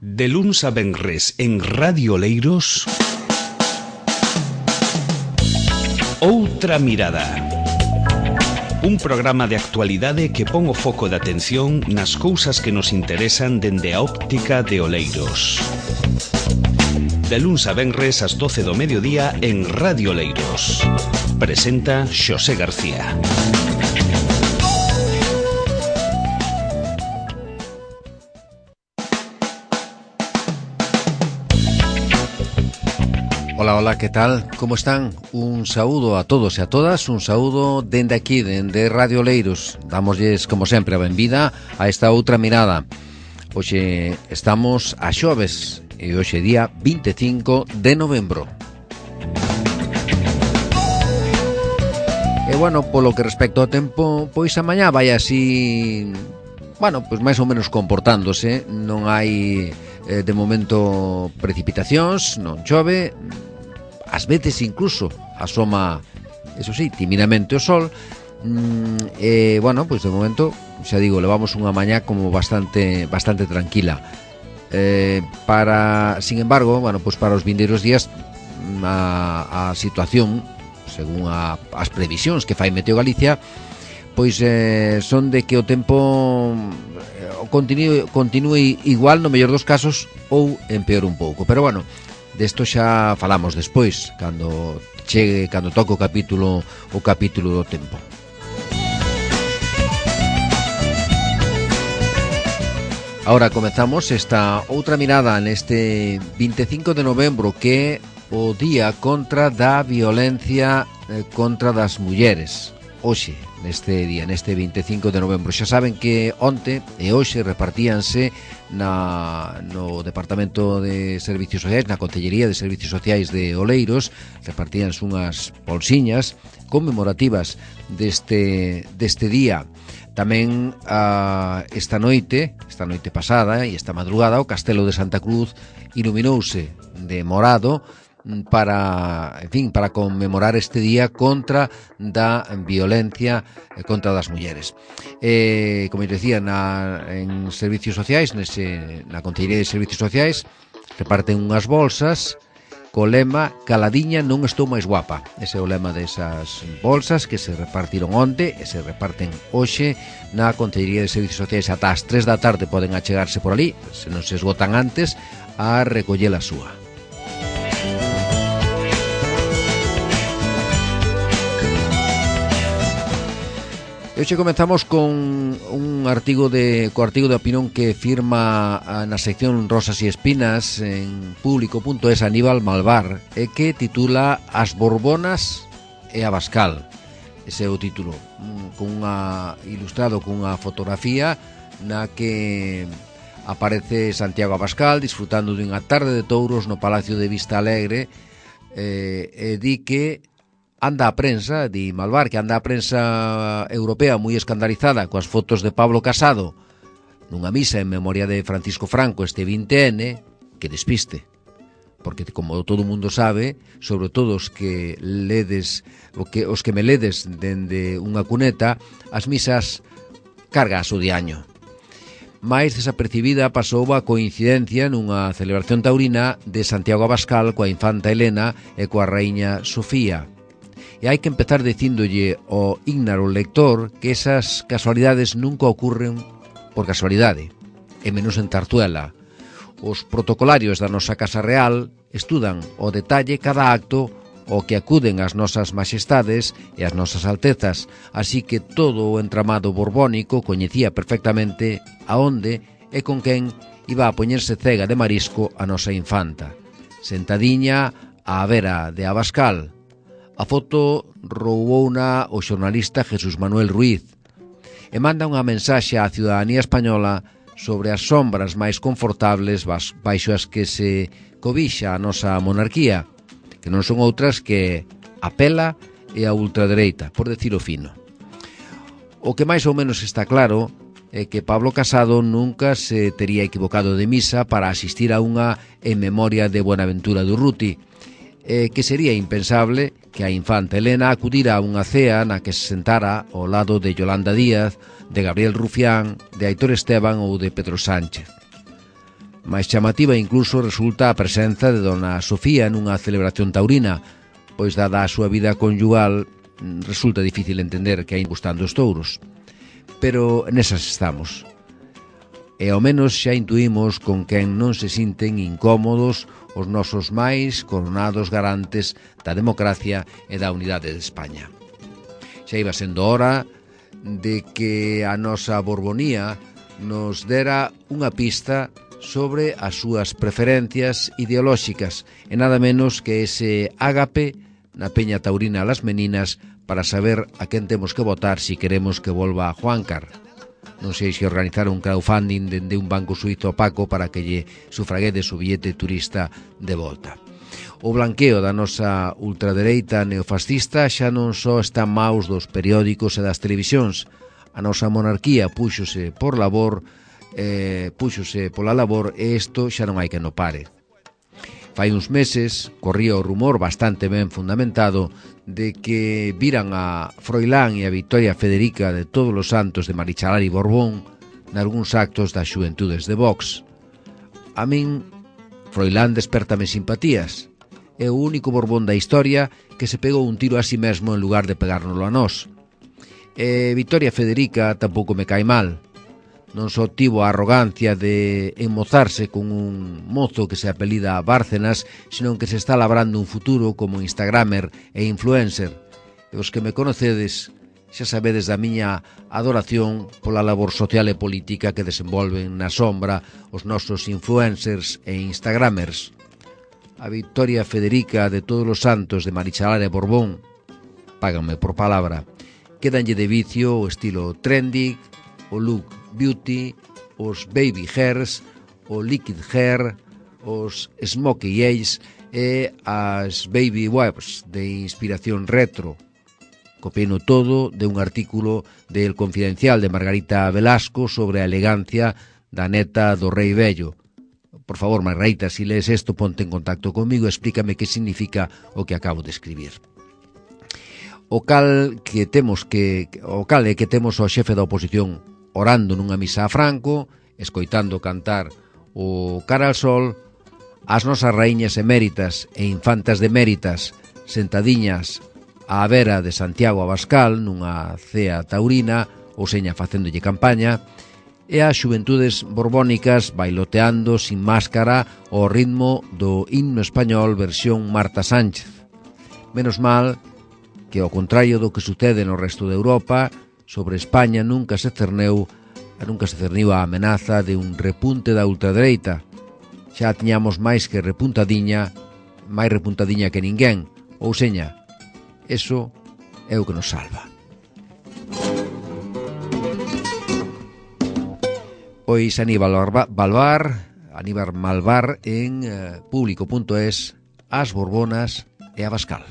De luns a venres en Radio Oleiros, Outra Mirada. Un programa de actualidade que pon o foco de atención nas cousas que nos interesan dende a óptica de Oleiros. De luns a venres ás 12 do mediodía en Radio Oleiros. Presenta Xosé García. Hola, hola, ¿qué tal? ¿Cómo están? Un saúdo a todos e a todas, un saúdo dende aquí, dende Radio Oleiros. Damosles, como sempre, a benvida a esta outra mirada. Hoxe estamos a xoves e hoxe día 25 de novembro. E bueno, polo que respecto ao tempo, pois a mañá vai así, bueno, pois máis ou menos comportándose. Non hai de momento precipitacións, non chove. Ás veces incluso asoma, eso sí, timidamente o sol. Bueno, pois de momento, xa digo, levamos unha mañá como bastante tranquila. Sin embargo, bueno, pois para os vindeiros días a situación, según as previsións que fai Meteo Galicia, pois son de que o tempo continúe igual no mellor dos casos ou empeore un pouco. Pero bueno, desto xa falamos despois, cando toque o capítulo do tempo. Ahora comezamos esta outra mirada neste 25 de novembro, que é o día contra da violencia contra das mulleres. Hoxe, neste día, neste 25 de novembro. Xa saben que onte e hoxe repartíanse no Departamento de Servicios Sociais, na Concellería de Servicios Sociais de Oleiros, repartíanse unhas bolsiñas conmemorativas deste día. Tamén esta noite pasada e esta madrugada, o Castelo de Santa Cruz iluminouse de morado para conmemorar este día contra da violencia contra das mulleres. Como eu decía, en Servicios Sociais, na Concellería de Servicios Sociais, reparten unhas bolsas co lema "Caladiña non estou máis guapa". Ese é o lema desas bolsas que se repartiron onte e se reparten hoxe na Concellería de Servicios Sociais. Ata as 3 da tarde poden achegarse por ali, se non se esgotan antes, a recoller a súa. Hoxe comenzamos con un artigo de opinión que firma na sección Rosas e Espinas en público.es Aníbal Malvar, e que titula As Borbonas e Abascal. Ese é o título, ilustrado cunha fotografía na que aparece Santiago Abascal disfrutando dunha tarde de touros no Palacio de Vista Alegre, e di que anda a prensa, di Malvar, que anda a prensa europea moi escandalizada coas fotos de Pablo Casado nunha misa en memoria de Francisco Franco este 20N, que despiste. Porque, como todo mundo sabe, sobre todo os que me ledes dende unha cuneta, as misas cargas o diaño. Mais desapercibida pasou a coincidencia nunha celebración taurina de Santiago Abascal coa infanta Elena e coa raíña Sofía. E hai que empezar dicíndolle ao ígnaro lector que esas casualidades nunca ocurren por casualidade, e menos en Tartuela. Os protocolarios da nosa Casa Real estudan ao detalle cada acto ao que acuden as nosas majestades e as nosas altezas, así que todo o entramado borbónico coñecía perfectamente aonde e con quen iba a poñerse cega de marisco a nosa infanta. Sentadiña á vera de Abascal. A foto roubouna o xornalista Jesús Manuel Ruiz e manda unha mensaxe á ciudadanía española sobre as sombras máis confortables baixo as que se cobixa a nosa monarquía, que non son outras que a pela e a ultradereita, por decilo fino. O que máis ou menos está claro é que Pablo Casado nunca se tería equivocado de misa para asistir a unha en memoria de Buenaventura Durruti, que sería impensable que a infanta Elena acudira a unha cea na que se sentara ao lado de Yolanda Díaz, de Gabriel Rufián, de Aitor Esteban ou de Pedro Sánchez. máis chamativa incluso resulta a presenza de dona Sofía nunha celebración taurina, pois dada a súa vida conyugal resulta difícil entender que hai gustando os touros. Pero nesas estamos. E ao menos xa intuímos con quen non se sinten incómodos os nosos máis coronados garantes da democracia e da unidade de España. Xa iba sendo hora de que a nosa Borbonía nos dera unha pista sobre as súas preferencias ideolóxicas e nada menos que ese ágape na Peña Taurina Las Meninas para saber a quen temos que votar si queremos que volva a Juancar. Non sei se organizar un crowdfunding dende un banco suizo opaco para que lle sufraguedes o billete turista de volta. O blanqueo da nosa ultradereita neofascista xa non só está en maus dos periódicos e das televisións. A nosa monarquía púxose pola labor e isto xa non hai que no pare. Fai uns meses corría o rumor bastante ben fundamentado de que viran a Froilán e a Victoria Federica de Todos os Santos de Marichalar e Borbón nalgúns actos das xuventudes de Vox. A min, Froilán despertame simpatías. É o único Borbón da historia que se pegou un tiro a si mesmo en lugar de pegárnoslo a nós. E Victoria Federica tampouco me cae mal. Non só tivo a arrogancia de enmozarse con un mozo que se apelida Bárcenas, senón que se está labrando un futuro como instagramer e influencer. E os que me conocedes xa sabedes da miña adoración pola labor social e política que desenvolven na sombra os nosos influencers e instagramers. A Victoria Federica de Todos os Santos de Marichalar e Borbón, páganme por palabra, quédanlle de vicio o estilo trendy, o look beauty, os baby hairs, o liquid hair, os smokey eyes e as baby wipes de inspiración retro. Copieno todo de un artículo de El Confidencial de Margarita Velasco sobre a elegancia da neta do rei vello. Por favor, Margarita, si lees isto, ponte en contacto comigo e explícame que significa o que acabo de escribir. O cal é que temos ao xefe da oposición orando nunha misa a Franco, escoitando cantar o Cara al Sol, as nosas raíñas eméritas e infantas deméritas sentadiñas á vera de Santiago Abascal nunha cea taurina, ou seña facéndolle campaña, e as xuventudes borbónicas bailoteando sin máscara ao ritmo do himno español versión Marta Sánchez. Menos mal que, ao contrario do que sucede no resto de Europa, sobre España nunca se cerniu a amenaza de un repunte da ultradereita. Xa tiñamos máis repuntadiña que ninguén, ou seña, eso é o que nos salva. Pois Aníbal Malvar en público.es, as Borbonas e Abascal.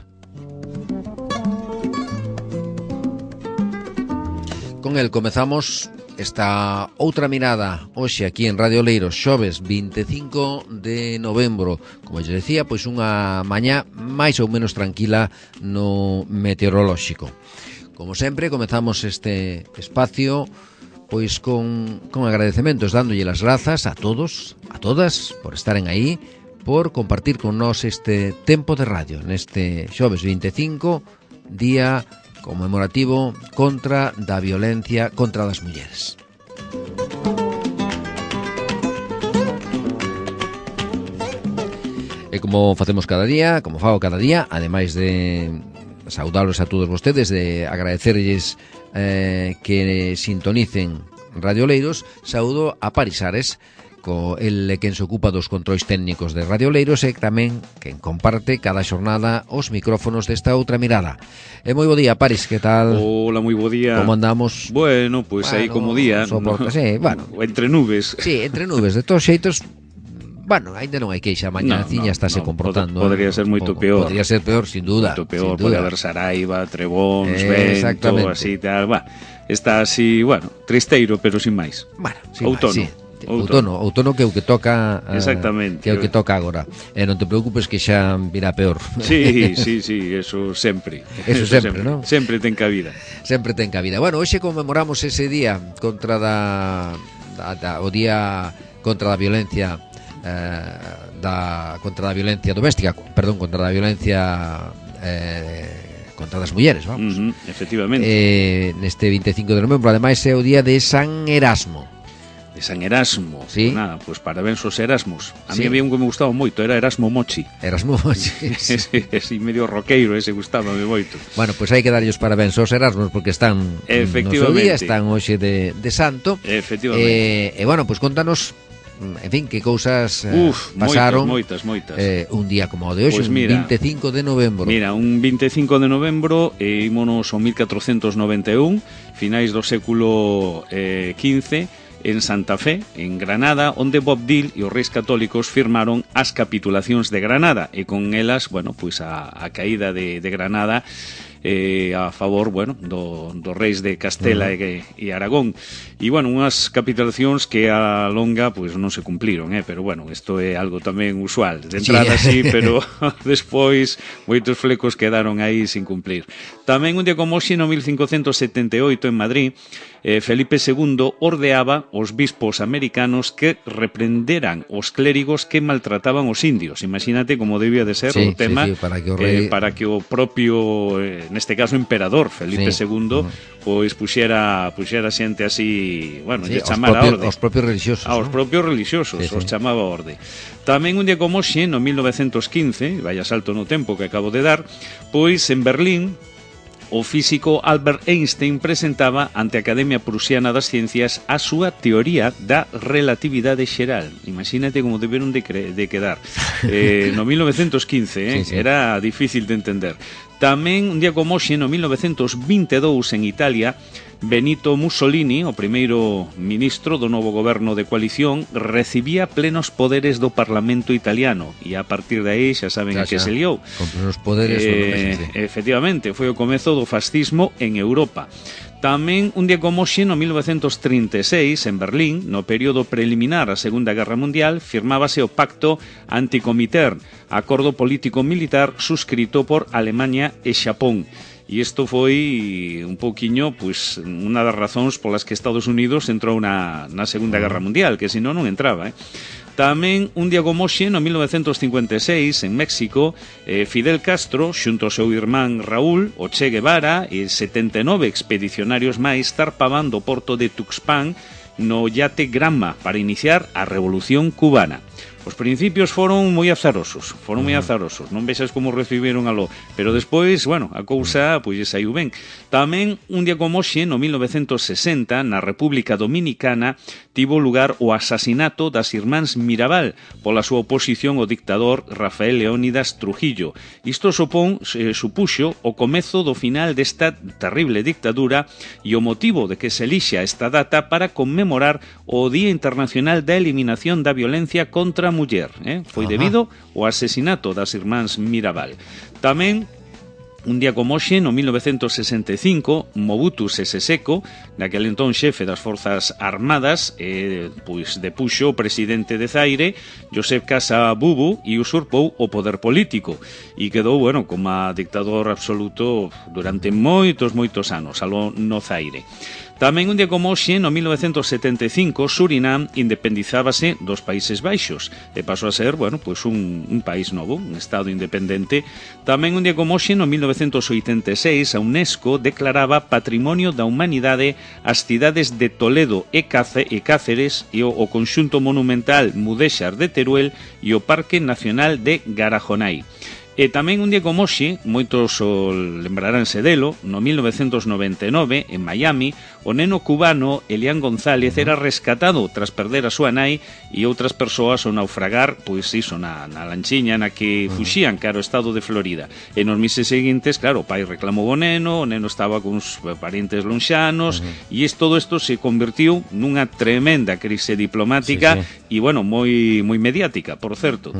Con el comezamos esta outra mirada hoxe aquí en Radio Oleiros, xoves 25 de novembro. Como eu decía, pois unha mañá máis ou menos tranquila no meteorolóxico. Como sempre, comezamos este espacio pois con agradecementos, dándolle as grazas a todos, a todas, por estaren aí, por compartir con nós este tempo de radio neste xoves 25, día conmemorativo contra da violencia contra das mulleres. E como facemos cada día, como fago cada día, ademais de saudalos a todos vostedes, de agradecerlles que sintonicen Radio Oleiros, saudo a Paris Ares, el quen se ocupa dos controis técnicos de Radio Oleiros e tamén quen comparte cada xornada os micrófonos desta outra mirada. E moi bo día, Paris, que tal? Hola, moi bo día. Como andamos? Bueno, pues aí como día, soporta, sí, bueno. Entre nubes. Sí, entre nubes, de todos xeitos. Bueno, ainda non hai queixa, mañaciña estáse comportando. Podría ser moito peor. Podría ser peor, sin duda. Moito peor, pode haber Saraiva, trebóns, vento, así tal. Está así, bueno, tristeiro, pero sin máis. Bueno, sin outono. Máis, sí. Outono que é o que toca. Exactamente. Que é o que toca agora. E non te preocupes que xa virá peor. Sí, eso sempre. Eso sempre, non? Sempre ten cabida. Sempre ten cabida. Bueno, hoxe conmemoramos ese día contra o día contra a violencia contra a violencia doméstica, contra a violencia contra as mulleres, vamos. Efectivamente. Neste 25 de novembro, ademais é o día de San Erasmo. De San Erasmo. Sí. Pues nada, pues parabéns aos Erasmos. A mí había un que me gustaba moito, era Erasmo Mochi. Erasmo Mochi. Ese medio roqueiro, ese gustábame moito. Bueno, pues hai que darlle os parabéns aos Erasmos porque están no seu día, están hoxe de santo. Efectivamente. E bueno, pues contanos, en fin, que cousas pasaron moitas. un día como o de hoxe, pues mira, 25 de novembro. Mira, un 25 de novembro ímonos ao 1491, finais do século XV, en Santa Fe, en Granada, onde Bob Dil e os reis católicos firmaron as capitulacións de Granada e con elas, bueno, pois a caída de Granada a favor, bueno, dos reis de Castela e Aragón. E, bueno, unhas capitulacións que a longa, pois, non se cumpliron, pero, bueno, isto é algo tamén usual. De entrada, sí, pero despois moitos flecos quedaron aí sin cumplir. Tamén un día como hoxe, no 1578, en Madrid, Felipe II ordeaba os bispos americanos que reprenderan os clérigos que maltrataban os indios. Imagínate como debía de ser o tema para que o propio, neste caso, emperador Felipe II, pois puxera xente así, bueno, lle chamara a orde. Aos propios religiosos. Aos propios religiosos, os chamaba a orde. Tamén un día como hoxe, no 1915, vaya salto no tempo que acabo de dar, pois en Berlín, o físico Albert Einstein presentaba ante a Academia Prusiana das Ciencias a súa teoría da relatividade xeral. Imagínate como deberon de quedar. No 1915, era difícil de entender. Tamén, un día como hoxe, no 1922, en Italia, Benito Mussolini, o primeiro ministro do novo goberno de coalición, recibía plenos poderes do Parlamento italiano e a partir de aí xa saben a que se liou. Con plenos poderes efectivamente, foi o comezo do fascismo en Europa. Tamén, un día como hoxe, no 1936, en Berlín, no período preliminar á Segunda Guerra Mundial, firmábase o Pacto Anticomintern, acordo político-militar suscrito por Alemania e Xapón. E isto foi un pouquiño, pois, unha das razóns polas que Estados Unidos entrou na Segunda Guerra Mundial, que senón non entraba, Tamén, un día como hoxe, no 1956, en México, Fidel Castro, xunto ao seu irmán Raúl, o Che Guevara e 79 expedicionarios máis zarpaban do porto de Tuxpan no yate Granma para iniciar a Revolución Cubana. Os principios foron moi azarosos, non vexas como recibiron aló, pero despois, bueno, a cousa pois saiu ben. Tamén, un día como hoxe, no 1960, na República Dominicana, tivo lugar o asasinato das irmáns Mirabal pola súa oposición ao dictador Rafael Leónidas Trujillo. Isto supuxo o comezo do final desta terrible dictadura e o motivo de que se elixa esta data para conmemorar o Día Internacional da Eliminación da Violencia contra a muller, foi debido ao asesinato das irmáns Mirabal. Tamén, un día como hoxe, no 1965, Mobutu Sese Seko, naquele entón xefe das Forzas Armadas, pois depuxo o presidente de Zaire, Joseph Casa Bubu, e usurpou o poder político e quedou, bueno, como dictador absoluto durante moitos anos aló no Zaire. Tamén un día como hoxe, no 1975, Surinam independizábase dos Países Baixos e pasou a ser, bueno, pois un país novo, un estado independente. Tamén un día como hoxe, no 1986, a UNESCO declaraba Patrimonio da Humanidade as cidades de Toledo e Cáceres e o conxunto monumental Mudéxar de Teruel e o Parque Nacional de Garajonai. E tamén un día como hoxe, moitos lembraránse delo, no 1999, en Miami, o neno cubano Elian González era rescatado tras perder a súa nai e outras persoas ao naufragar, pois iso, na lanchiña na que fuxían cara ao estado de Florida. E nos meses seguintes, claro, o pai reclamou o neno estaba con uns parientes lonxanos e todo isto se convertiu nunha tremenda crise diplomática e, bueno, moi mediática, por certo.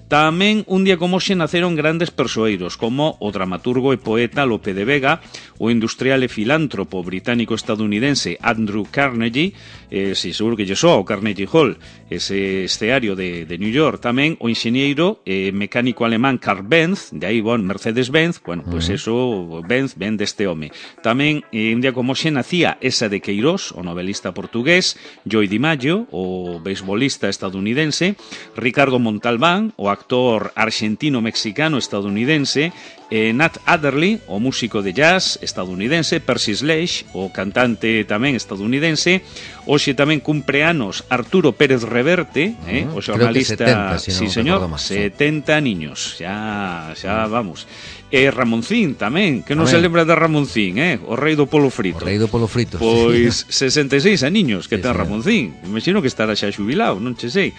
Tamén un día como hoxe naceron grandes persoeiros como o dramaturgo e poeta Lope de Vega, o industrial e filántropo británico-estadounidense Andrew Carnegie, si seguro que lle soa o Carnegie Hall, ese escenario de New York, tamén o enxeñeiro mecánico alemán Karl Benz, de aí, Mercedes-Benz, pues eso, Benz ven deste home. Tamén, un día como xe, nacía Esa de Queiroz, o novelista portugués, Joey DiMaggio, o beisbolista estadounidense, Ricardo Montalbán, o actor argentino-mexicano estadounidense, Nat Adderley, o músico de jazz estadounidense, Percy Sledge, o cantante tamén estadounidense, hoxe tamén cumpre anos Arturo Pérez Reverte, o xornalista, 70, si sí señor, 70 niños, xa vamos. Ramoncín tamén, que non se lembra de Ramoncín, o rei do polo frito. O rei do polo frito. Pois 66 aniños que sí, ten Ramoncín. Imagino que estará xa xubilado, non che sei.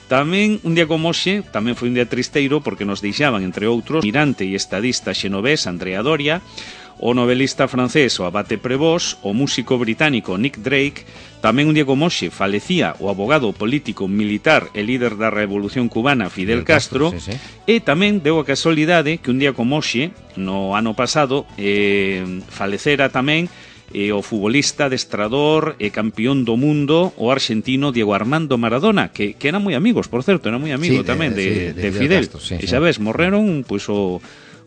Tamén, un día como hoxe, tamén foi un día tristeiro porque nos deixaban, entre outros, mirante e estadista xenovés Andrea Doria, o novelista francés o Abate Prévost, o músico británico Nick Drake. Tamén un día como hoxe falecía o abogado político militar e líder da Revolución Cubana Fidel Castro, sí. E tamén deu a casualidade que un día como hoxe, no ano pasado, falecera tamén o futbolista, adestrador e campeón do mundo, o argentino Diego Armando Maradona, que eran moi amigos, por certo, era moi amigo tamén de Fidel. Castro, e xa ves, morreron pois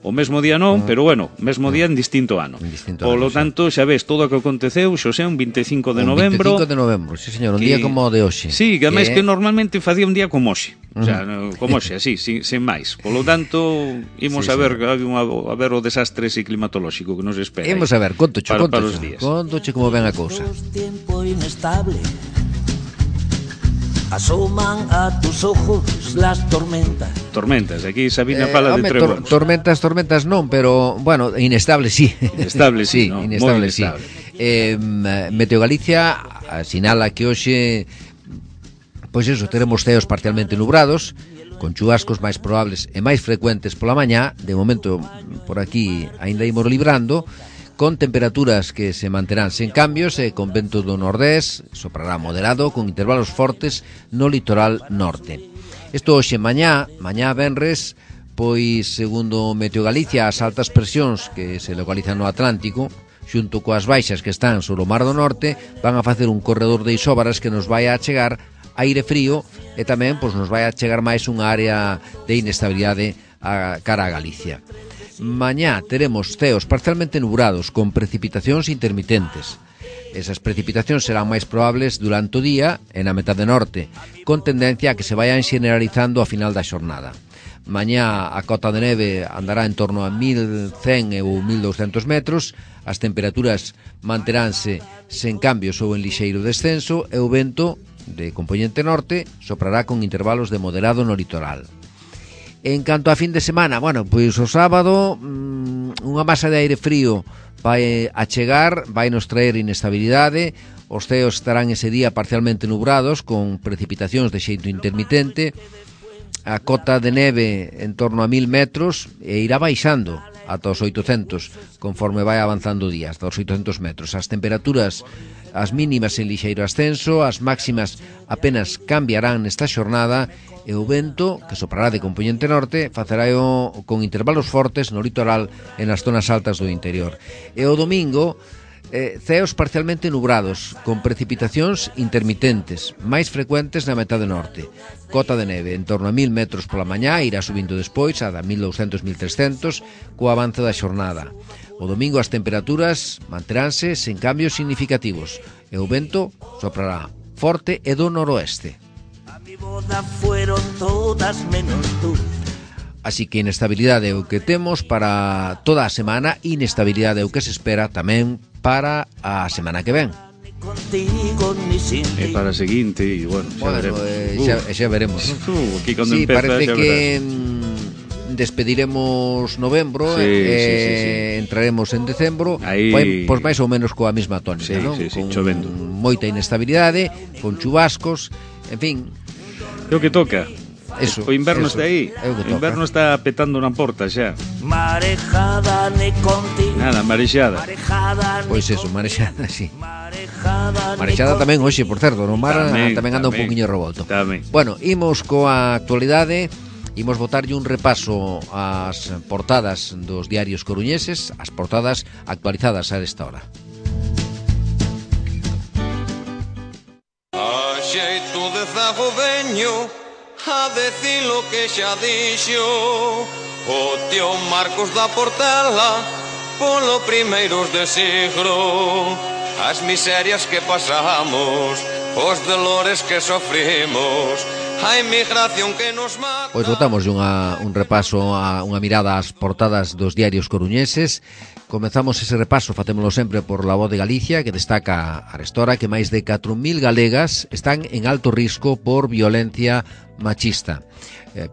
o mesmo día non, pero bueno, mesmo día en distinto ano. Polo tanto, xa ves, todo o que aconteceu, xosé, un 25 de novembro. 25 de novembro, sí señor, un día como o de hoxe. Sí, que ademais que normalmente facía un día como hoxe. O sea, como hoxe, así, sin máis. Polo tanto, imos a ver o desastre ese climatolóxico que nos espera. Imos a ver, contoche como ven a cousa. Tiempo inestable. Asoman a tus ojos las tormentas. Tormentas, aquí Sabina fala de trebóns. Tormentas non, pero, bueno, inestable sí. Inestable sí, no? Inestable sí. Meteo Galicia sinala que hoxe, pois eso, teremos ceos parcialmente nubrados, con chubascos máis probables e máis frecuentes pola mañá. De momento, por aquí, aínda imos librando, con temperaturas que se manterán sen cambios e con vento do nordés, soprará moderado, con intervalos fortes no litoral norte. Isto hoxe mañá venres, pois, segundo Meteo Galicia, as altas presións que se localizan no Atlántico, xunto coas baixas que están sobre o Mar do Norte, van a facer un corredor de isóbaras que nos vai a chegar aire frío e tamén pois, nos vai a chegar máis unha área de inestabilidade a cara a Galicia. Mañá teremos ceos parcialmente nubrados con precipitacións intermitentes. Esas precipitacións serán máis probables durante o día e na metade norte, con tendencia a que se vayan xeneralizando ao final da xornada. Mañá a cota de neve andará en torno a 1100 ou 1200 metros, as temperaturas manteránse sen cambios ou en lixeiro descenso e o vento de compoñente norte soprará con intervalos de moderado no litoral. En canto a fin de semana, bueno, pois o sábado unha masa de aire frío vai a chegar, vai nos traer inestabilidade, os ceos estarán ese día parcialmente nubrados con precipitacións de xeito intermitente, a cota de neve en torno a 1000 metros e irá baixando ata os 800 conforme vai avanzando o día, hasta os 800 metros. As temperaturas, as mínimas en lixeiro ascenso, as máximas apenas cambiarán nesta xornada e o vento, que soprará de compoñente norte, facerá con intervalos fortes no litoral e nas zonas altas do interior. E o domingo, ceos parcialmente nubrados, con precipitacións intermitentes, máis frecuentes na metade norte. Cota de neve en torno a 1000 metros pola mañá, irá subindo despois a 1200-1300 co avance da xornada. O domingo as temperaturas manteránse sen cambios significativos e o vento soprará forte e do noroeste. Boda fueron todas menos tú. Así que inestabilidade é o que temos para toda a semana, inestabilidade é o que se espera tamén para a semana que ven. E para a seguinte, e bueno, xa veremos. Aquí cando sí, empeza, parece xa que despediremos novembro, sí. Entraremos en decembro, pois máis ou menos coa mesma tónica, non? Con chovendo, moita inestabilidade, con chubascos, en fin. Creo que toca. Eso, o inverno está aí. O inverno está petando na porta xa. Marejada ne contigo. Nada, marexada. Pois eso, marexada, sí. Marexada tamén hoxe, por certo, no mar tamén anda un poquinho revolto. Tamén. Bueno, imos coa actualidade Imos botarlle un repaso ás portadas dos diarios coruñeses, as portadas actualizadas a esta hora. A xeito de zago veño a decir lo que xa dixo o tío Marcos da Portela polo primeiros de siglo. As miserias que pasamos, os dolores que sofrimos, a inmigración que nos mata. Pois botamos un repaso, unha mirada ás portadas dos diarios coruñeses. Comezamos ese repaso, facémolo sempre por La Voz de Galicia, que destaca arestora que máis de 4.000 galegas están en alto risco por violencia machista.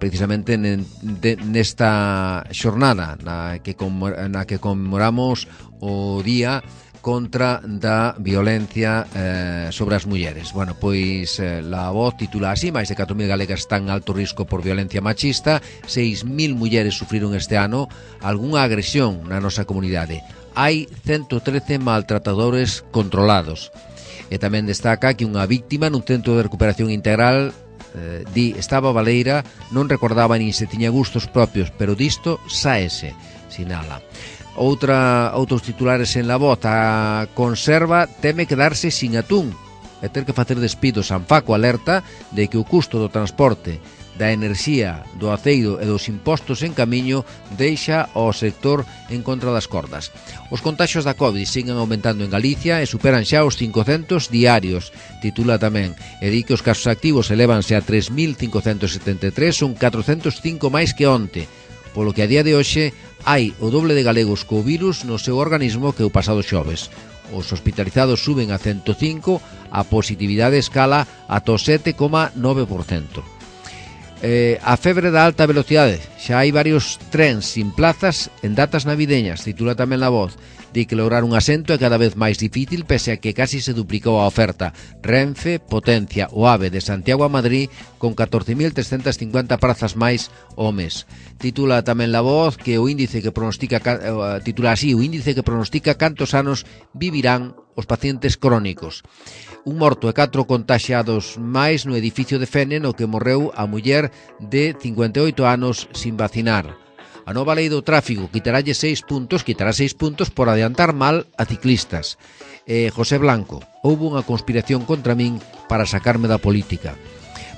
Precisamente nesta xornada na que conmemoramos o Día contra da violencia sobre as mulleres. Bueno, pois La Voz titula así: máis de 4.000 galegas están en alto risco por violencia machista, 6.000 mulleres sufriron este ano algunha agresión na nosa comunidade. Hai 113 maltratadores controlados. E tamén destaca que unha víctima nun centro de recuperación integral estaba baleira, non recordaba nin se tiña gustos propios, pero disto sáese, sinala. Outros titulares en La Voz: a conserva teme quedarse sin atún e ter que facer despidos. Anfaco alerta de que o custo do transporte, da enerxía, do aceiro e dos impostos en camiño deixa ao sector en contra das cordas. Os contaxios da COVID siguen aumentando en Galicia e superan xa os 500 diarios, titula tamén, e di que os casos activos elévanse a 3.573, son 405 máis que onte, polo que a día de hoxe hai o doble de galegos co virus no seu organismo que o pasado xoves. Os hospitalizados suben a 105, a positividade escala ata o 7,9%. A febre da alta velocidade, xa hai varios trens sin plazas en datas navideñas, titula tamén La Voz. Di que lograr un asento é cada vez máis difícil pese a que casi se duplicou a oferta. Renfe potencia o AVE de Santiago a Madrid con 14.350 prazas máis ao mes. Titula tamén La Voz que o índice que pronostica cantos anos vivirán os pacientes crónicos. Un morto e 4 contaxiados máis no edificio de Fene no que morreu a muller de 58 anos sin vacinar. A nova lei do tráfico quitará 6 puntos por adiantar mal a ciclistas. José Blanco: houbo unha conspiración contra min para sacarme da política.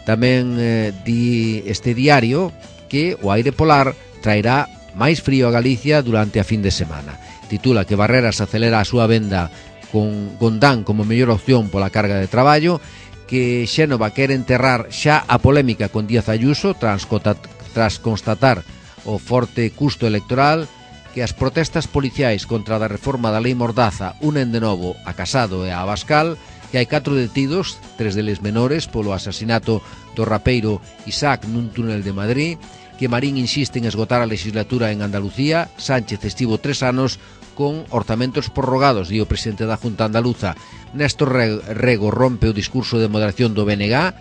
Tamén di este diario que o aire polar traerá máis frío a Galicia durante a fin de semana. Titula que Barreras acelera a súa venda con Gondán como mellor opción pola carga de traballo, que Xénova quere enterrar xa a polémica con Díaz Ayuso tras constatar o forte custo electoral, que as protestas policiais contra a reforma da lei Mordaza unen de novo a Casado e a Abascal, que hai 4 detidos, 3 deles menores, polo asasinato do rapeiro Isaac nun túnel de Madrid, que Marín insiste en esgotar a legislatura en Andalucía, Sánchez estivo 3 anos con orzamentos prorrogados, di o presidente da Junta Andaluza. Néstor Rego rompe o discurso de moderación do BNG,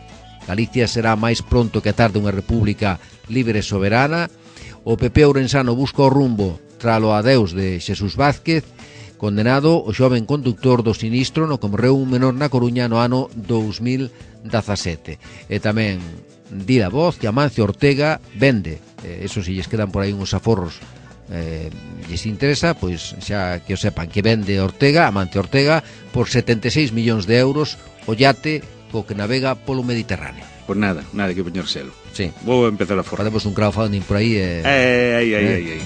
Galicia será máis pronto que tarde unha república libre e soberana. O PP ourensano busca o rumbo tralo adeus de Xesús Vázquez, condenado o xoven conductor do sinistro no que morreu un menor na Coruña no ano 2017. E tamén di La Voz que Amancio Ortega vende, eso si lles quedan por aí uns aforros lles interesa, pois xa que o sepan, que vende Amancio Ortega por 76 millóns de euros o yate co que navega polo Mediterráneo. Pois nada que poñérselo. Sí. Vou empezar a forrar. Facemos un crowdfunding por aí e... Ai.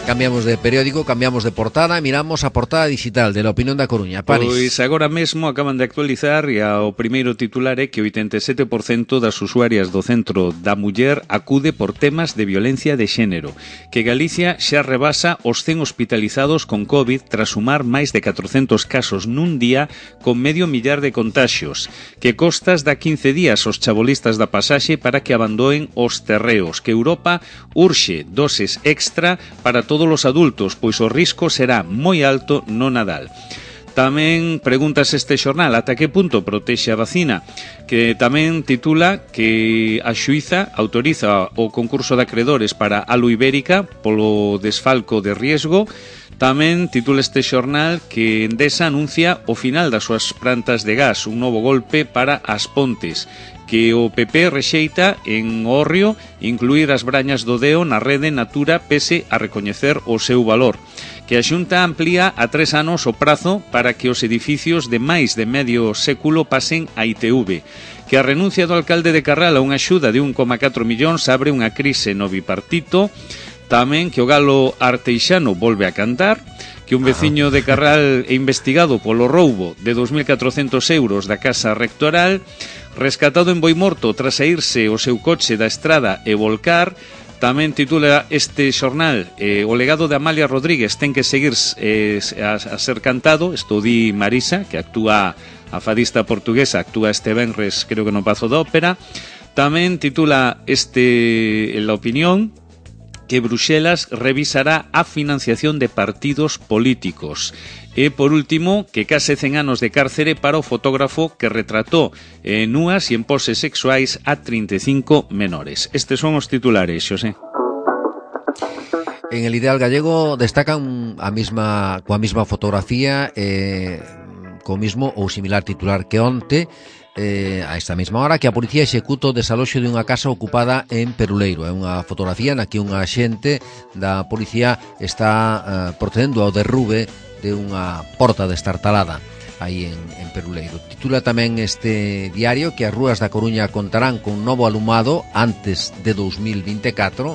Cambiamos de periódico, cambiamos de portada, miramos a portada digital de La Opinión da Coruña. París. Pois agora mesmo acaban de actualizar e o primeiro titular é que 87% das usuarias do Centro da Muller acude por temas de violencia de xénero, que Galicia xa rebasa os 100 hospitalizados con COVID tras sumar máis de 400 casos nun día con 500.000 de contaxios, que costas da 15 días os chabolistas da pasaxe para que abandoen os terreos, que Europa urxe doses extra para todos os adultos, pois o risco será moi alto no Nadal. Tamén preguntas este xornal ata que punto protexe a vacina, que tamén titula que a xuíza autoriza o concurso de acredores para Alu Ibérica polo desfalco de riesgo. Tamén titula este xornal que Endesa anuncia o final das súas plantas de gas, un novo golpe para As Pontes, que o PP rexeita en Hórreo incluir as brañas do Deo na rede Natura pese a recoñecer o seu valor, que a Xunta amplía a 3 anos o prazo para que os edificios de máis de medio século pasen a ITV, que a renuncia do alcalde de Carral a unha axuda de 1,4 millóns abre unha crise no bipartito. Tamén que o galo arteixano volve a cantar, que un veciño de Carral é investigado polo roubo de 2.400 euros da casa rectoral, rescatado en Boimorto tras saírse o seu coche da estrada e volcar. Tamén titula este xornal o legado de Amalia Rodríguez ten que seguir a ser cantado. Isto di Marisa, que actúa, a fadista portuguesa, actúa este venres, creo que no Pazo da Ópera. Tamén titula La Opinión, que Bruxelas revisará a financiación de partidos políticos. E, por último, que case 100 anos de cárcere para o fotógrafo que retratou núas e en poses sexuais a 35 menores. Estes son os titulares, Xosé. En El Ideal Gallego destacan coa mesma fotografía, co mismo ou similar titular que onte, a esta mesma hora, que a policía executa o desaloxo de unha casa ocupada en Peruleiro. É unha fotografía na que un axente da policía está procedendo ao derrube de unha porta destartalada aí en Peruleiro. Titula tamén este diario que as rúas da Coruña contarán con novo alumado antes de 2024,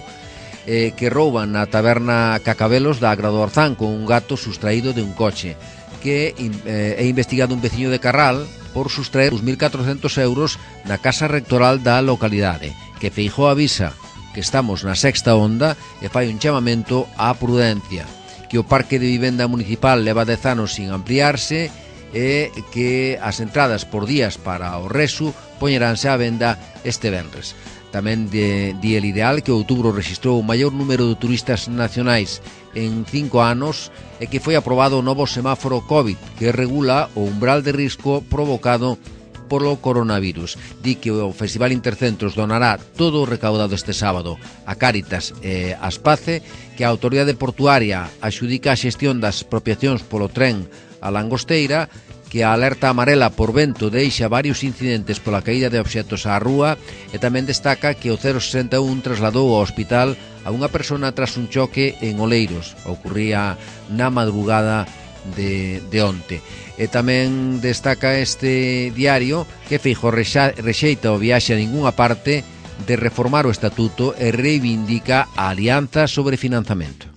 que rouban na taberna Cacabelos da Agra do Orzán con un gato sustraído de un coche, que é investigado un veciño de Carral por sustraer 2.400 euros na casa rectoral da localidade, que Feijóo avisa que estamos na sexta onda e fai un chamamento á prudencia, que o parque de vivenda municipal leva 10 anos sin ampliarse e que as entradas por días para o Resu poñeránse á venda este venres. Tamén di El Ideal que outubro rexistrou o maior número de turistas nacionais en 5 anos e que foi aprobado o novo semáforo COVID que regula o umbral de risco provocado polo coronavirus. Di que o Festival Intercentros donará todo o recaudado este sábado a Cáritas e a Aspace, que a Autoridade Portuaria axudica a xestión das expropiacións polo tren a Langosteira, que a alerta amarela por vento deixa varios incidentes pola caída de obxectos á rúa, e tamén destaca que o 061 trasladou ao hospital a unha persona tras un choque en Oleiros. Ocurría na madrugada de onte. E tamén destaca este diario que Feijóo rexeita o viaxe a ningunha parte de reformar o estatuto e reivindica a alianza sobre financiamento.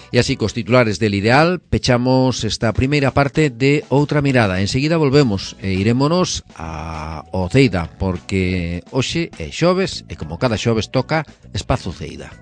E así, cos titulares del Ideal, pechamos esta primeira parte de Outra Mirada. Enseguida volvemos e irémonos ao Ceida, porque hoxe é xoves e como cada xoves toca Espazo Ceida.